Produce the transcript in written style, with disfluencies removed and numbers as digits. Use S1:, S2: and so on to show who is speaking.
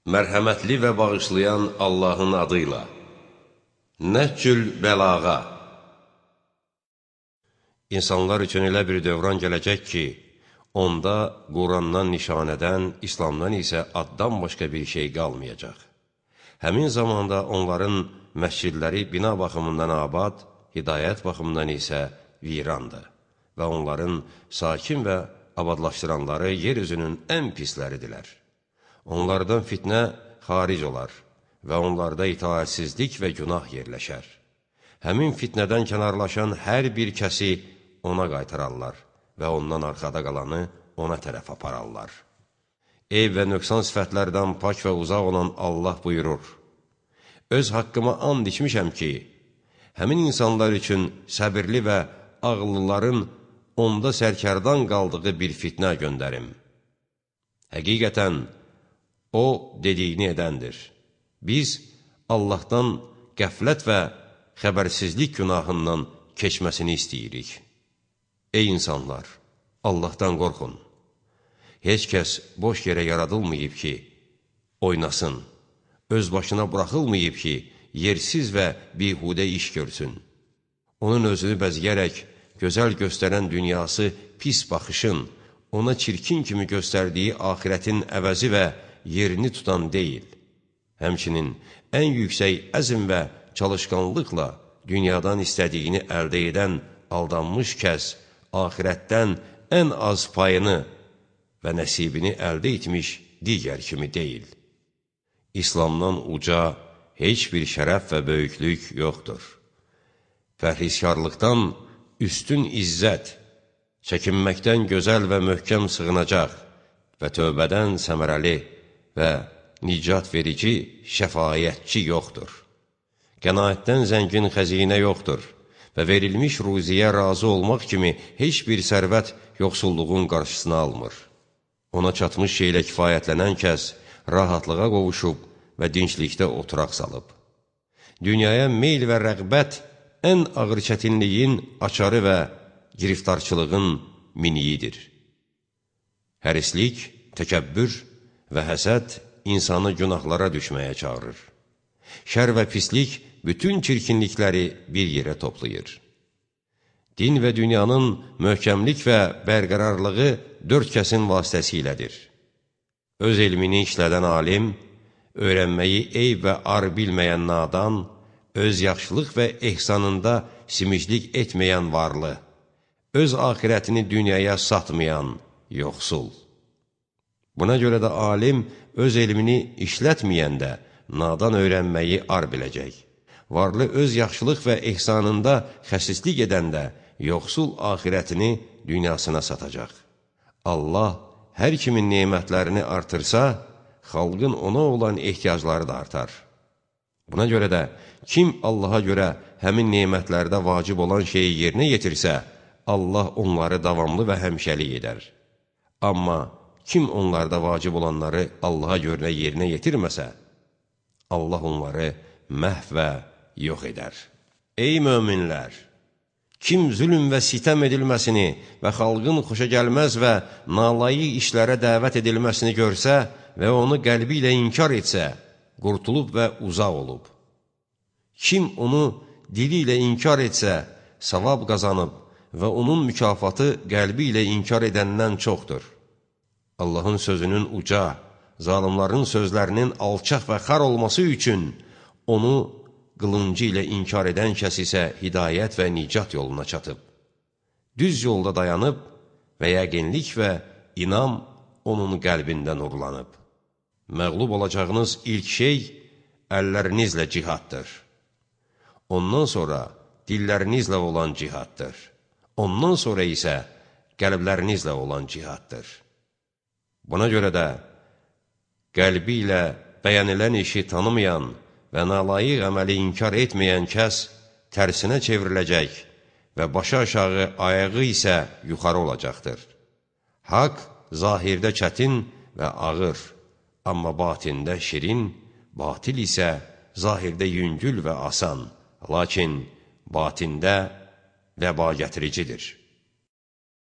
S1: Mərhəmətli və bağışlayan Allahın adıyla. Nəhcül bəlağa. İnsanlar üçün elə bir dövran gələcək ki, onda Qurandan, nişanədən, İslamdan isə addan başqa bir şey qalmayacaq. Həmin zamanda onların məscidləri bina baxımından abad, hidayət baxımından isə virandır və onların sakin və abadlaşdıranları yeryüzünün ən pisləridirlər. Onlardan fitnə xaric olar və onlarda itaatsizlik və günah yerləşər. Həmin fitnədən kənarlaşan hər bir kəsi ona qaytararlar və ondan arxada qalanı ona tərəf apararlar. Eyb və nöqsan sifətlərdən pak və uzaq olan Allah buyurur: Öz haqqıma and içmişəm ki, həmin insanlar üçün səbirli və ağıllıların onda sərkərdan qaldığı bir fitnə göndərim. Həqiqətən, O dediyini edəndir. Biz Allahdan qəflət və xəbərsizlik günahından keçməsini istəyirik. Ey insanlar, Allahdan qorxun. Heç kəs boş yerə yaradılmayıb ki, oynasın. Öz başına buraxılmayıb ki, yersiz və bihudə iş görsün. Onun özünü bəzgərək, gözəl göstərən dünyası pis baxışın, ona çirkin kimi göstərdiyi axirətin əvəzi və yerini tutan deyil. Həmçinin ən yüksək əzm və çalışqanlıqla dünyadan istədiyini əldə edən aldanmış kəs axirətdən ən az payını və nəsibini əldə etmiş digər kimi deyil. İslamdan uca heç bir şərəf və böyüklük yoxdur. Pərhizkarlıqdan üstün izzət, çəkinməkdən gözəl və möhkəm sığınacaq və tövbədən səmərəli və nicat verici, şəfayətçi yoxdur. Qənaətdən zəngin xəzinə yoxdur və verilmiş ruziyə razı olmaq kimi heç bir sərvət yoxsulluğun qarşısını almır. Ona çatmış şeylə kifayətlənən kəs rahatlığa qovuşub və dinclikdə oturaq salıb. Dünyaya meyl və rəğbət ən ağır çətinliyin açarı və giriftarçılığın miniyidir. Hərislik, təkəbbür və həsəd insanı günahlara düşməyə çağırır. Şər və pislik bütün çirkinlikləri bir yerə toplayır. Din və dünyanın möhkəmlik və bərqərarlığı dörd kəsin vasitəsilədir. Öz elmini işlədən alim, öyrənməyi eyb və ar bilməyən nadan, öz yaxşılıq və ehsanında simiclik etməyən varlı, öz axirətini dünyaya satmayan yoxsul. Buna görə də alim öz elmini işlətməyəndə nadan öyrənməyi ar biləcək. Varlı öz yaxşılıq və ehsanında xəsislik edəndə yoxsul axirətini dünyasına satacaq. Allah hər kimin nemətlərini artırsa, xalqın ona olan ehtiyacları da artar. Buna görə də kim Allaha görə həmin nemətlərdə vacib olan şeyi yerinə yetirsə, Allah onları davamlı və həmişəlik edər. Amma kim onlarda vacib olanları Allaha görə yerinə yetirməsə, Allah onları məhv və yox edər. Ey möminlər! Kim zülm və sitəm edilməsini və xalqın xoşagəlməz və nalayıq işlərə dəvət edilməsini görsə və onu qəlbi ilə inkar etsə, qurtulub və uzaq olub. Kim onu dili ilə inkar etsə, savab qazanıb və onun mükafatı qəlbi ilə inkar edəndən çoxdur. Allahın sözünün uca, zalimların sözlərinin alçaq və xar olması üçün onu qılıncı ilə inkar edən kəs isə hidayət və nicat yoluna çatıb. Düz yolda dayanıb və yəqinlik və inam onun qəlbində nurlanıb. Məğlub olacağınız ilk şey əllərinizlə cihaddır. Ondan sonra dillərinizlə olan cihaddır. Ondan sonra isə qəlblərinizlə olan cihaddır. Buna görə də qəlbi ilə bəyənilən işi tanımayan və nalayıq əməli inkar etməyən kəs tərsinə çevriləcək və başı aşağı ayağı isə yuxarı olacaqdır. Haqq zahirdə çətin və ağır, amma batində şirin, batil isə zahirdə yüngül və asan, lakin batində vəba gətiricidir.